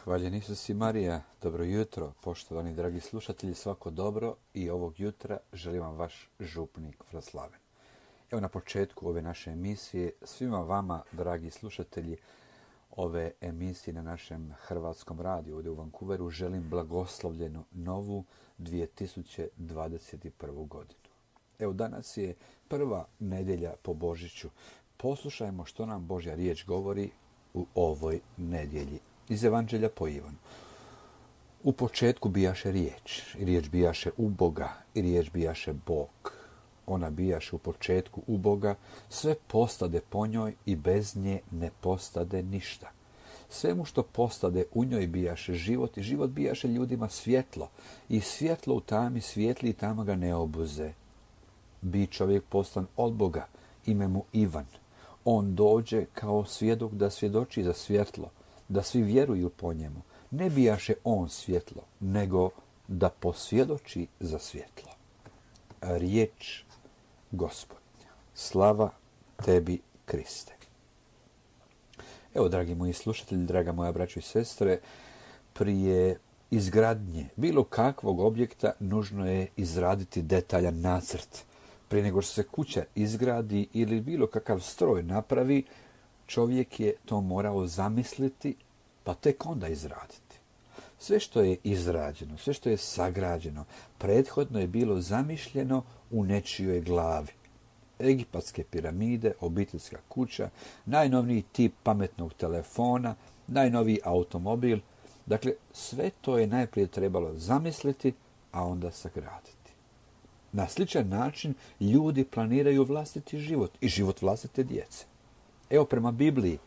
Hvaljen Isus i Marija, dobro jutro, poštovani dragi slušatelji, svako dobro i ovog jutra želim vam vaš župnik Vraslaven. Evo na početku ove naše emisije, svima vama, dragi slušatelji, ove emisije na našem hrvatskom radiju ovdje u Vancouveru, želim blagoslovljenu novu 2021. godinu. Evo danas je prva nedjelja po Božiću. Poslušajmo što nam Božja riječ govori u ovoj nedjelji. Iz Evanđelja po Ivanu. U početku bijaše riječ, i riječ bijaše u Boga, i riječ bijaše Bog. Ona bijaše u početku u Boga, sve postade po njoj i bez nje ne postade ništa. Svemu što postade u njoj bijaše život i život bijaše ljudima svjetlo. I svjetlo u tami svijetli i tama ga ne obuze. Bi čovjek poslan od Boga, ime mu Ivan. On dođe kao svjedok da svjedoči za svjetlo, da svi vjeruju po njemu. Ne bijaše on svjetlo, nego da posvjedoči za svjetlo. Riječ Gospodnja. Slava tebi, Kriste. Evo, dragi moji slušatelji, draga moja braćo i sestre, prije izgradnje bilo kakvog objekta nužno je izraditi detaljan nacrt. Prije nego što se kuća izgradi ili bilo kakav stroj napravi, čovjek je to morao zamisliti, pa tek onda izraditi. Sve što je izrađeno, sve što je sagrađeno, prethodno je bilo zamišljeno u nečijoj glavi. Egipatske piramide, obiteljska kuća, najnovniji tip pametnog telefona, najnoviji automobil. Dakle, sve to je najprije trebalo zamisliti, a onda sagraditi. Na sličan način ljudi planiraju vlastiti život i život vlastite djece. Evo, prema Bibliji,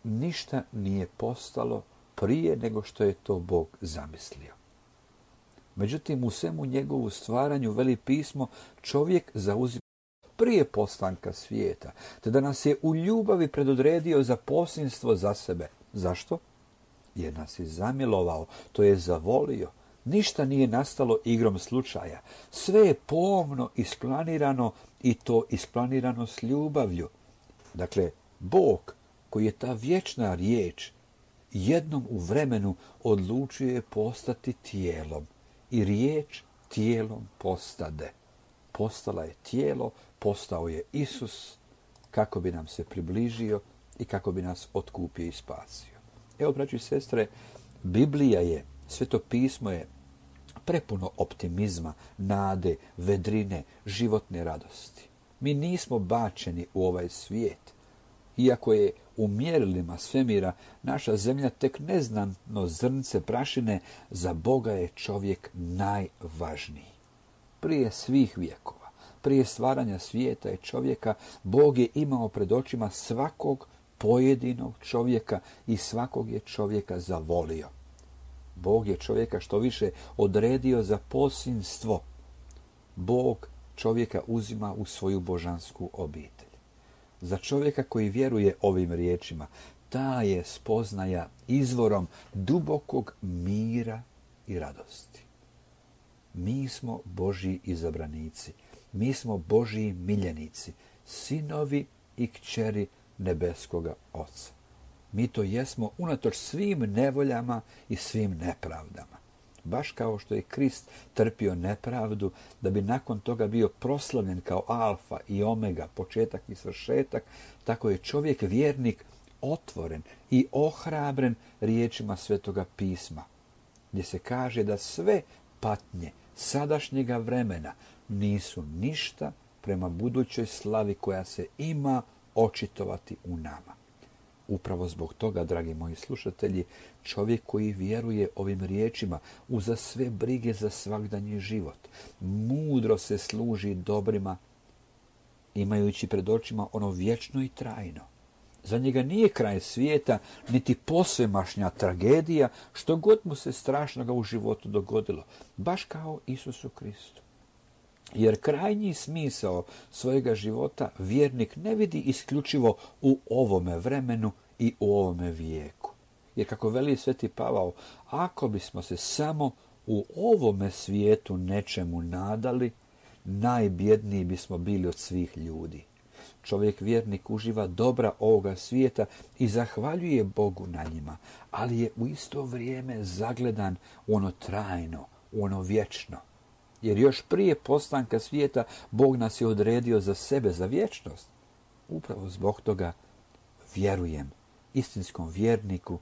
ništa nije postalo prije nego što je to Bog zamislio. Međutim, u svemu njegovu stvaranju, veli pismo, čovjek zauzima prije postanka svijeta, te da nas je u ljubavi predodredio za posinstvo za sebe. Zašto? Jer nas je zamilovao, to je zavolio. Ništa nije nastalo igrom slučaja. Sve je pomno isplanirano i to isplanirano s ljubavlju. Dakle, Bog, koji je ta vječna riječ, jednom u vremenu odlučio je postati tijelom. I riječ tijelom postade. Postala je tijelo, postao je Isus, kako bi nam se približio i kako bi nas otkupio i spasio. Evo, braći i sestre, Biblija je, Sveto pismo je prepuno optimizma, nade, vedrine, životne radosti. Mi nismo bačeni u ovaj svijet. Iako je u mjerilima svemira naša zemlja tek neznatno zrnce prašine, za Boga je čovjek najvažniji. Prije svih vjekova, prije stvaranja svijeta i čovjeka, Bog je imao pred očima svakog pojedinog čovjeka i svakog je čovjeka zavolio. Bog je čovjeka što više odredio za posinstvo. Bog čovjeka uzima u svoju božansku obitelj. Za čovjeka koji vjeruje ovim riječima, ta je spoznaja izvorom dubokog mira i radosti. Mi smo Božji izabranici, mi smo Božji miljenici, sinovi i kćeri nebeskoga Oca. Mi to jesmo unatoč svim nevoljama i svim nepravdama. Baš kao što je Krist trpio nepravdu, da bi nakon toga bio proslavljen kao alfa i omega, početak i svršetak, tako je čovjek vjernik otvoren i ohrabren riječima Svetoga pisma, gdje se kaže da sve patnje sadašnjega vremena nisu ništa prema budućoj slavi koja se ima očitovati u nama. Upravo zbog toga, dragi moji slušatelji, čovjek koji vjeruje ovim riječima uza sve brige za svagdanji život, mudro se služi dobrima, imajući pred očima ono vječno i trajno. Za njega nije kraj svijeta, niti posvemašnja tragedija, što god mu se strašnoga u životu dogodilo, baš kao Isusu Kristu. Jer krajnji smisao svojega života vjernik ne vidi isključivo u ovome vremenu i u ovome vijeku. Jer kako veli Sveti Pavao, ako bismo se samo u ovome svijetu nečemu nadali, najbjedniji bismo bili od svih ljudi. Čovjek vjernik uživa dobra ovoga svijeta i zahvaljuje Bogu na njima, ali je u isto vrijeme zagledan u ono trajno, u ono vječno. Jer još prije postanka svijeta Bog nas je odredio za sebe, za vječnost. Upravo zbog toga vjerujem istinskom vjerniku,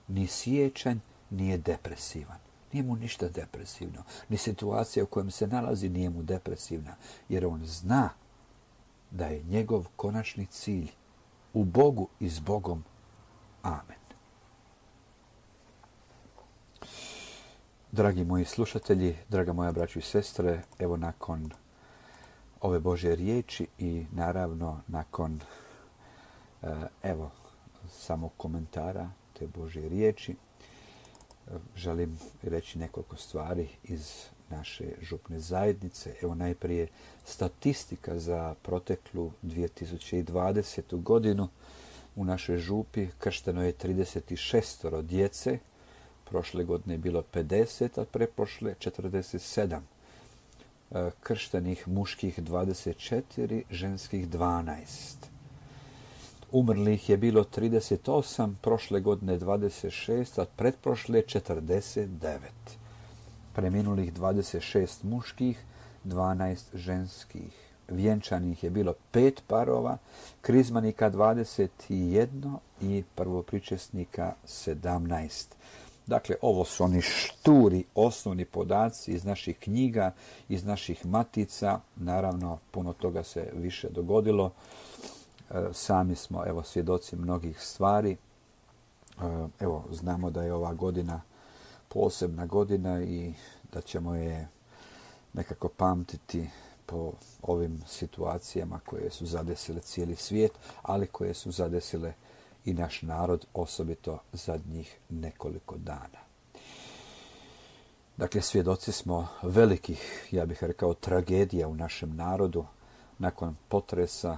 ni siječanj nije depresivan. Nije mu ništa depresivno. Ni situacija u kojem se nalazi nije mu depresivna. Jer on zna da je njegov konačni cilj u Bogu i s Bogom. Amen. Dragi moji slušatelji, draga moja braćo i sestre, evo nakon ove Božje riječi i naravno nakon samog komentara te Božje riječi, želim reći nekoliko stvari iz naše župne zajednice. Evo najprije statistika za proteklu 2020. godinu. U našoj župi kršteno je 36 djece. Prošle godine je bilo 50, a preprošle 47. Krštenih muških 24, ženskih 12. Umrlih je bilo 38, prošle godine 26, a pretprošle 49. Preminulih 26 muških, 12 ženskih. Vjenčanih je bilo 5 parova, krizmanika 21 i prvopričesnika 17. Dakle, ovo su oni šturi, osnovni podaci iz naših knjiga, iz naših matica. Naravno, puno toga se više dogodilo. Sami smo, svjedoci mnogih stvari. Znamo da je ova godina posebna godina i da ćemo je nekako pamtiti po ovim situacijama koje su zadesile cijeli svijet, ali koje su zadesile i naš narod, osobito zadnjih nekoliko dana. Dakle, svjedoci smo velikih, ja bih rekao, tragedija u našem narodu. Nakon potresa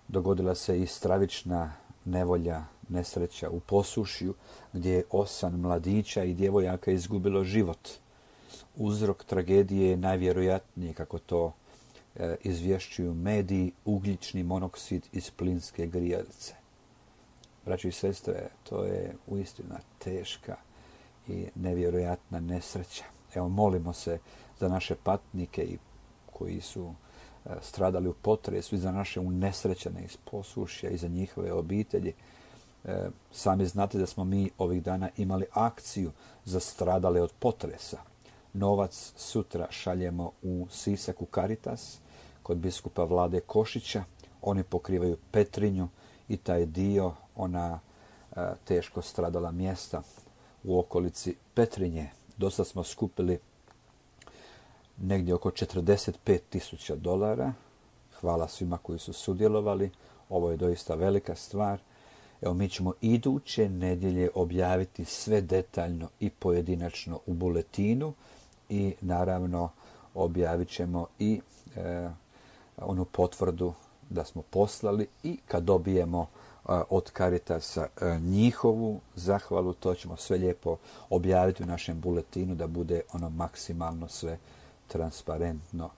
dogodila se i stravična nevolja, nesreća u Posušju, gdje je 8 mladića i djevojaka izgubilo život. Uzrok tragedije je najvjerojatnije, kako to izvješćuju mediji, ugljični monoksid iz plinske grijalice. Braći i sestre, to je uistinu teška i nevjerojatna nesreća. Molimo se za naše patnike koji su stradali u potresu i za naše unesrećene iz Posušja i za njihove obitelji. Sami znate da smo mi ovih dana imali akciju za stradale od potresa. Novac sutra šaljemo u Sisak u Caritas kod biskupa Vlade Košića. Oni pokrivaju Petrinju i taj dio, ona teško stradala mjesta u okolici Petrinje. Dosta smo skupili negdje oko $45,000. Hvala svima koji su sudjelovali. Ovo je doista velika stvar. Mi ćemo iduće nedjelje objaviti sve detaljno i pojedinačno u buletinu i naravno objavit ćemo i onu potvrdu da smo poslali i kad dobijemo od Caritasa njihovu zahvalu, to ćemo sve lijepo objaviti u našem buletinu da bude ono maksimalno sve transparentno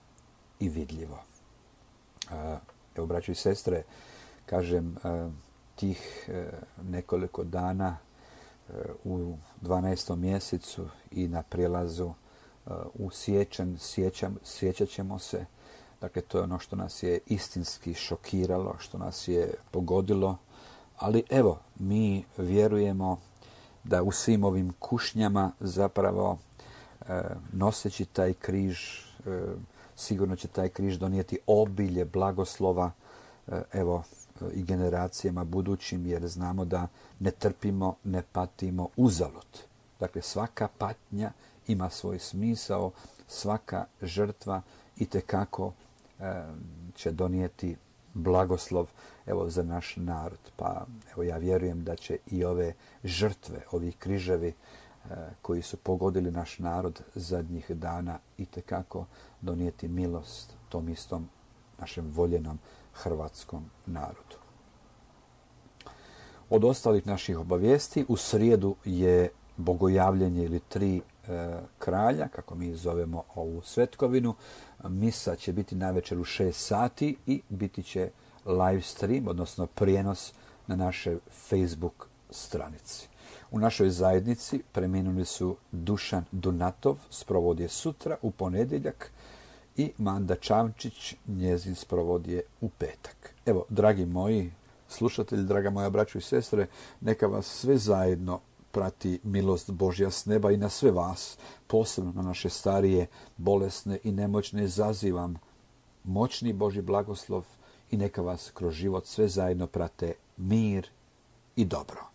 i vidljivo. Evo, braćo i sestre, kažem, tih nekoliko dana u 12. mjesecu i na prijelazu u siječanj sjećat ćemo se. Dakle, to je ono što nas je istinski šokiralo, što nas je pogodilo. Ali evo, mi vjerujemo da u svim ovim kušnjama zapravo noseći taj križ, sigurno će taj križ donijeti obilje blagoslova i generacijama budućim, jer znamo da ne trpimo, ne patimo uzalud. Dakle, svaka patnja ima svoj smisao, svaka žrtva itekako će donijeti blagoslov za naš narod. Pa ja vjerujem da će i ove žrtve, ovi križevi koji su pogodili naš narod zadnjih dana itekako donijeti milost tom istom našem voljenom hrvatskom narodu. Od ostalih naših obavijesti, u srijedu je bogojavljenje ili 3 kralja, kako mi zovemo ovu svetkovinu. Misa će biti navečer u 6 sati i biti će live stream, odnosno prijenos na našoj Facebook stranici. U našoj zajednici preminuli su Dušan Dunatov, sprovod je sutra u ponedjeljak, i Manda Čamčić, njezin sprovod je u petak. Evo, dragi moji slušatelji, draga moja braćo i sestre, neka vas sve zajedno prati milost Božja s neba i na sve vas, posebno na naše starije, bolesne i nemoćne, zazivam moćni Božji blagoslov i neka vas kroz život sve zajedno prate mir i dobro.